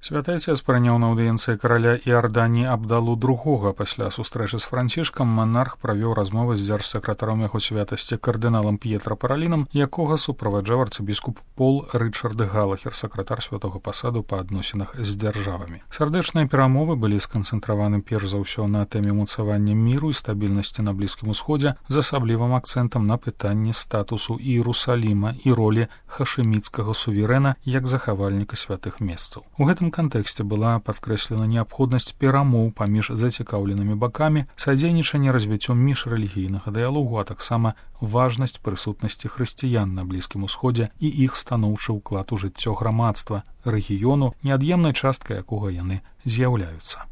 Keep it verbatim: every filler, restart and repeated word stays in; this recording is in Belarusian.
Святы Отец прыняў на аўдыенцыі караля Іарданіі Абдалу другога. Пасля сустрэчы з Францішкам манарх правёў размовы з дзяржсакратаром яго святасці кардыналам П'етра Паралінам, якога суправаджаў арцыбіскуп Пол Рычард Галахер, сакратар святого пасаду па адносінах з дзяржавамі. Сардэчныя перамовы былі сканцэнтраваны перш за ўсё на тэме ўмацавання міру і стабільнасці на Блізкім Усходзе з асаблівым акцэнтам на пытанні статусу Іерусаліма і ролі хашэміцкага суверэна як захавальніка святых месцаў. У гэтым кантэксце была падкрэслена неабходнасць перамоў паміж зацікаўленымі бакамі, садзейнічанне развіццём міжрэлігійнага дыялогу, а таксама важнасць прысутнасці хрысціян на Блізкім Усходзе і іх станоўчы ўклад у жыццё грамадства рэгіёну, неад'емнай часткай якога яны з'яўляюцца.